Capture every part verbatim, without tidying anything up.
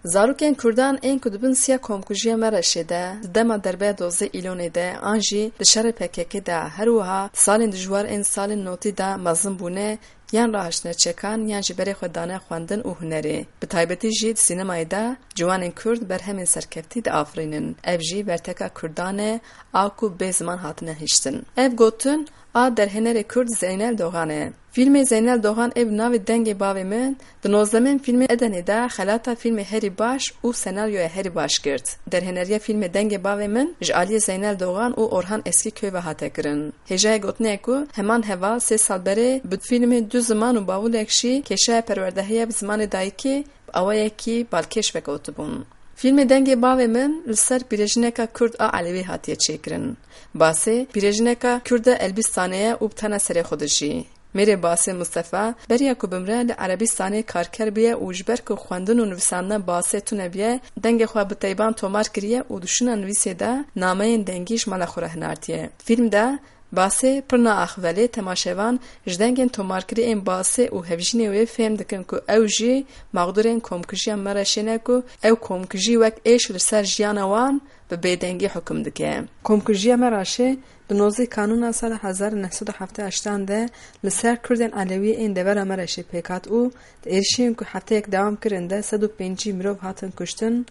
Zarokên Kurdan ên ku di bin siya komkujiya Mereşê de, di dema derbeya dozdeh Îlonê de an jî di şerê P K K de, her wiha di salên dijwar ên salên notî de mezin bûne, yan rahiştine çekan yan jî berê xwe dane xwendin û hunerê. Bi taybetî jî di sînemayê de ciwanên Kurd berhemên serkeftî diafirînin. Ev jî berteka Kurdan e, a ku bê ziman hatine hiştin. Ev gotin a derhênerê Kurd Zeynel Dogan e. Fîlmê Zeynel Dogan ê bi navê Dengê Bavê Min di nozdemên fîlmê Edenê de xelata fîlmê herî baş û senaryoya herî baş girt. Derhêneriya fîlmê Dengê Bavê Min ji aliyê Zeynel Dogan û Orhan Eskîköy ve hate kirin. Hêjayê gotinê ye ku heman heval sê sal berê bi fîlmê Du Ziman û Bavulek jî kêşeya perwerdehiya bi zimanê dayikê bi awayekî balkêş vekewtibûn. Fîlmê Dengê Bavê Min li ser pîrejineka Kurd a Elewî hatiye çêkirin. Basê pîrejineka Kurd a Elbîstanê ye û bi tena serê xwe dijî. Mêrê Basê Mustefa beriya ku bimre li Erebîstanê karker bûye û ji ber ku xwendin û nivîsandina Basê tune bûye, dengê xwe bi teyban tomar kiriye û di şûna nivîsê de nameyên dengî ji mala xwe re hinartiye. Fîlm de Basê pir naaxive lê temaşevan ji dengên tomarkirî ên Basê û hevjînê wê fêm dikin ku ew jî mexdûrên komkujiya Mereşê ne ku ew komkujî wek êş li ser jiyana wan bi bêdengî hukum dike. Komkujiya Mereşê di nozdeh Kanûna sala hezar û neh sed û heftê û heştan de li ser Kurdên Elewî ên devera Mereşê pêk hat û di êrişên ku hefteyek dewam kirin de sed û pêncî mirov hatin kuştin,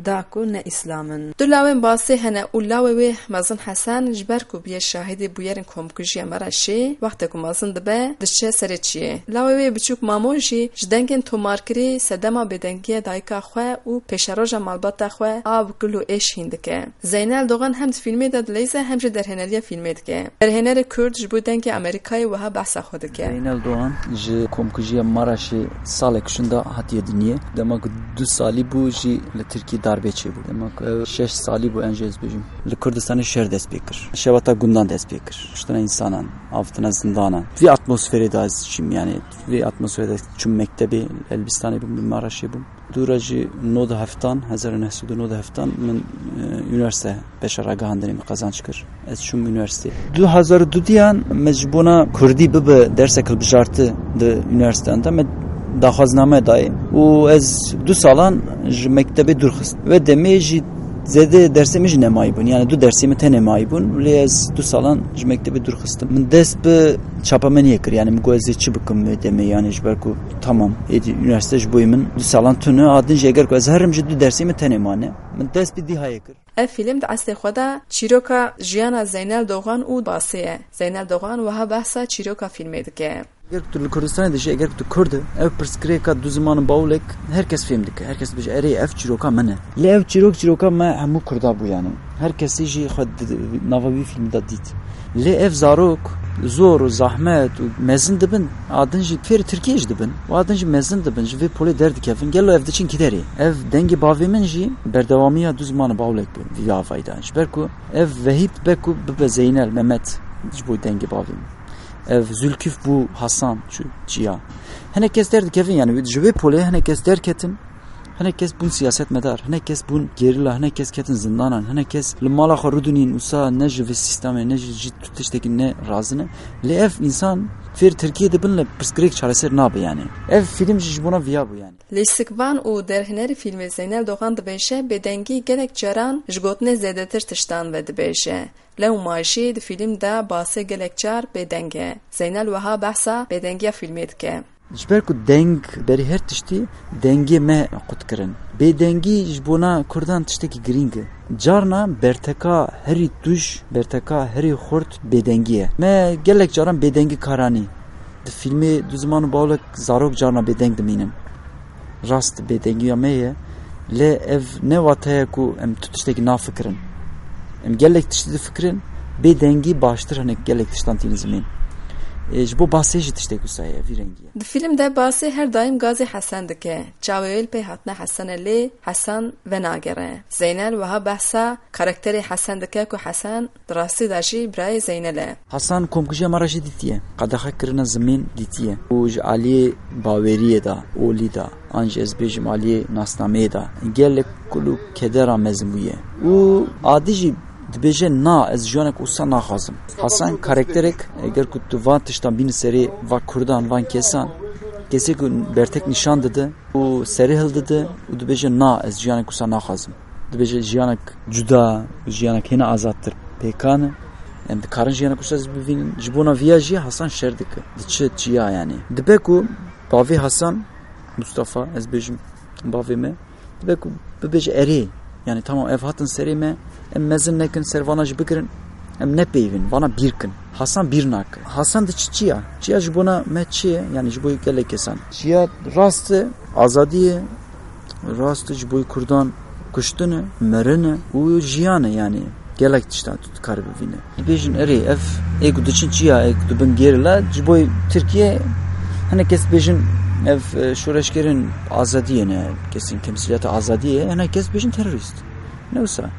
da ku ne Îslam in. Du lawên Basê hene û lawê wê mezin Hesen, ji ber ku bûye şahidê bûyerên komkujiya Mereşê, wextê ku mezin dibe, diçe serê çiyê. Lawê wê biçûk Mamo jî ji dengên tomarkirî sedema bêdengiya dayika xwe û pêşeroja malbata xwe a bi kul û êş hîn dike. Zeynel Dogan hem di fîlmê de dileyze hem jî derhêneriya fîlmê dike. Derhênerê Kurd ji bo Dengê Amerîkayê wiha behsa xwe dike. Zeynel Doğan ji komkujiya Maraşê salek şûnda hatiye dinyê. Dema ku du salî bû jî li Tirkiyê darbê çêbû. Dema ku ew şeş salî bû, en jî ez bêjim. Li Kurdistanê şer dest pê kir. Şewata gundan dest pê kir. Kuştina însanan, avtina zindanan. Vî atmosferê de ez çûm, yani vî atmosferê de çûm mektebê, Elbistanê bûm, li Maraşê bûm. Dûra jî nod heftan, hezar û neh sed û nod heftan min, e, üniversite beşa ragihandinê min qazanç kir. Ez çûm üniversite. Du hezar û du diyan me ji bona Kurdî bibe dersek hilbijarti di üniversiteyan de me daxwazname dayê. Û ez du salan ji mektebê dûr xist. Ve demê jî zêde dersê min jî nemayî bûn. Yani du dersê min tenê mayî bûn. Lê ez du salan ji mektebê dûr xistim. Min dest bi çapemeniyê kir. Yani min got ez ê çi bikim wê demê. Yani ji ber ku tamam, êdî üniversite ji bo min du salan tune. A din jî eger ku ez herim jî du dersê min tenê mane. Min dest bi dîhayê kir. Ev fîlm di eslê xwe de çîroka jiyana Zeynel Dogan û Basê ye. Zeynel Dogan wiha behsa çîroka fîlmê dike. Eger tu li Kurdistanê dijî, eger tu Kurd î, ev pirsgirêka du ziman û bawulek her kes fêm dike. Her kes dibêje, erê, ev çîroka min e. Lê ev çîrok, çîroka me hemû Kurda bû yani. Her kesî jî xwe di, di nava wî fîlmî de dît. Lê ev zarok zor û zahmet û mezin dibin, a din jî fêrî Tirkiyê jî dibin. Û a din jî mezin dibin, ji vê polê derdikevin. Gelo ev diçin kî derê? Ev Dengê Bavê Min jî berdewamiya du ziman û bawulek bi vî avayî de. Ji ber ku ev Vehîb be ku bibe Zeynel, Mehmet ji bo Dengê Bavê Min. Ev Zülküf bû Hasan çû çiya. Hinek kes derdikevin, yani ji vê polê hinek kes derketin. Hinek kes bûn siyasetmedar, hinek kes bûn gerîla, hinek kes ketin zindanan, hinek kes li mala xwe rûdinîn, wisa ne ji vê sîstemê, ne ji, ji tu tiştekî ne razî ne. Lê ev însan fêr Tirkiyê dibin, lê pirsgirêk çareser nabe yani. Ev fîlm jî ji bona viya bû yani. Lîstikvan û derhênerê fîlmê Zeynel Dogan dibêje, bêdengî gelek caran ji gotinê zêdetir tiştan ve dibêje. Lewma jî di fîlm de Basê gelek car bêdeng e. Zeynel wiha behsa bêdengiya fîlmê dike. Ji ber ku deng berî her tiştî dengê me qut kirin. Bêdengî ji bona Kurdan tiştekî girîng e. Carna berteka herî tûj, berteka herî xurt bêdengî ye. Me gelek caran bêdengî karanî. Di fîlmê Du Ziman û Bawlek zarok carna bêdeng dimînin. Rast bêdengiya me ye, lê ev ne wate ye ku em tu tiştekî nafikirin. Em gelek tiştî difikirin, bêdengî baştir hinek gelek tiştan tînin zimên. E, ji bo Basê jî tiştek wisa ye, vî rengî ye. Di fîlm de Basê her daîm gazê Hesen dike. Çavê wê li pey hatina Hesen e, lê Hesen venagere. Zeynel wiha behsa karakterê Hesen dike ku Hesen di rastî de jî birayê Zeynel e. Hasan komkujiya me re jî dîtiye. Qedexe kirina zimên dîtiye. Û ji aliyê baweriyê de, olî de, an jî ez bêjim aliyê nasnameyê de, gelek kul û kedera mezin bûye. Û adî jî dibêje, na, ez jiyanek wisa naxwazim. Hasan karakterek, eger ku tu van tiştan bînî serê va kurdan, van kesan, Kesê ku bertek nîşan dide û serê hildide û dibêje, "Na, ez jiyanek wisa naxwazim." Dibêje, "Jiyanek cuda û jiyanek hêna azadtir pêkan e. Em dikarin jiyanek wisa jî bivînin." Ji bona viya jî Hasan şer dike. Diçe çiya, yanî. Dibe ku bavê Hasan, Mustafa, ez bêjim bavê me, dibe ku bibêje, "Erê, yanî tamam, ev hatin serê me, em mezin nekin, ser vana jî bigirin, em nepeyivin, vana bîr kin." Hasan bîr nake. Hasan diçe çiya. Çiya ji bona me çi ye? Yanî ji bo gelek kesan. Çiya rast e, azadî ye, rast e, ji bo Kurdan kuştin e, mirin e û jiyan e, yanî gelek tiştan tu dikare bivîne. Dibêjin, "Erê, ev ê ku diçin çiya, ê ku dibin gerîla, ji bo Tirkiye, hinek kes dibêjin, ev, e, şoreşgerên azadiyê ne, kesên temsîliyata azadiyê, hinek kes dibêjin terorîst." Ne wisa.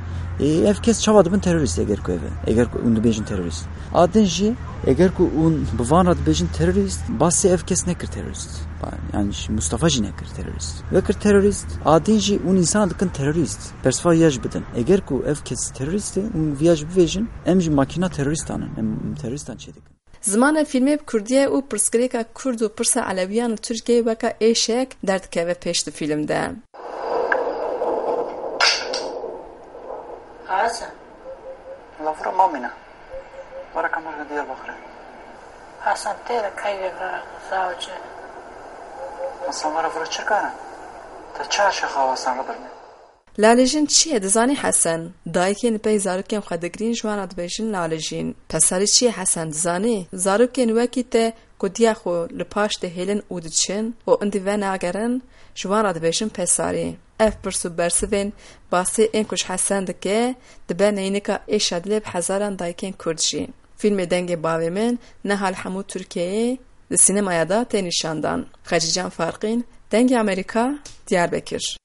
Ê, ev kes çawa dibin terorîst, eger ku ev e, eger ku hûn dibêjin terorîst? A din jî, eger ku hûn bi van re dibêjin terorîst, basê ev kes nekir terorîst. Ba-, yanî jî Mustafa jî nekir terorîst. Wekir terorîst, a din jî hûn însana dikin terorîst. Persiva ya jî bidin. Eger ku ev kes terorîst e, hûn viya jî bivêjin, em jî makîna terorîstan in. Em terorîstan çêdikin. Zimanê fîlmê bi kurdî ye û pirsgirêka kurd û pirsa elewiyan li Tirkiyeyê weke êşek derdikeve pêş di fîlm de. Hasan. Lavura mamîna. Wara kamerga Diyarbakirê. Hasan tê de kayê vira zavce. Hasan wara vira çirkana. Te çar şexa Hasan re birne. Lalejîn çi ye dizanî Hesen? Dayikên li pey zarokên xwe digirîn, ji wan re dibêjin lalejîn. Pesarî çi ye Hesen dizanî? Zarokên wekî te ku diya xwe li paş dihêlin û diçin û indî venagerin, ji wan re dibêjin pesarî. Ev pirs û bersivên basê ên ku ji Hesen dike, dibe neynika êşa dilê bi hezaran dayikên Kurd jî. Fîlmê Dengê Bavê Min niha li hemû Tirkiyeyê di sînemaya de tê nîşandan. Xecîcan Farqîn, Dengê Amerîka, Diyarbekir.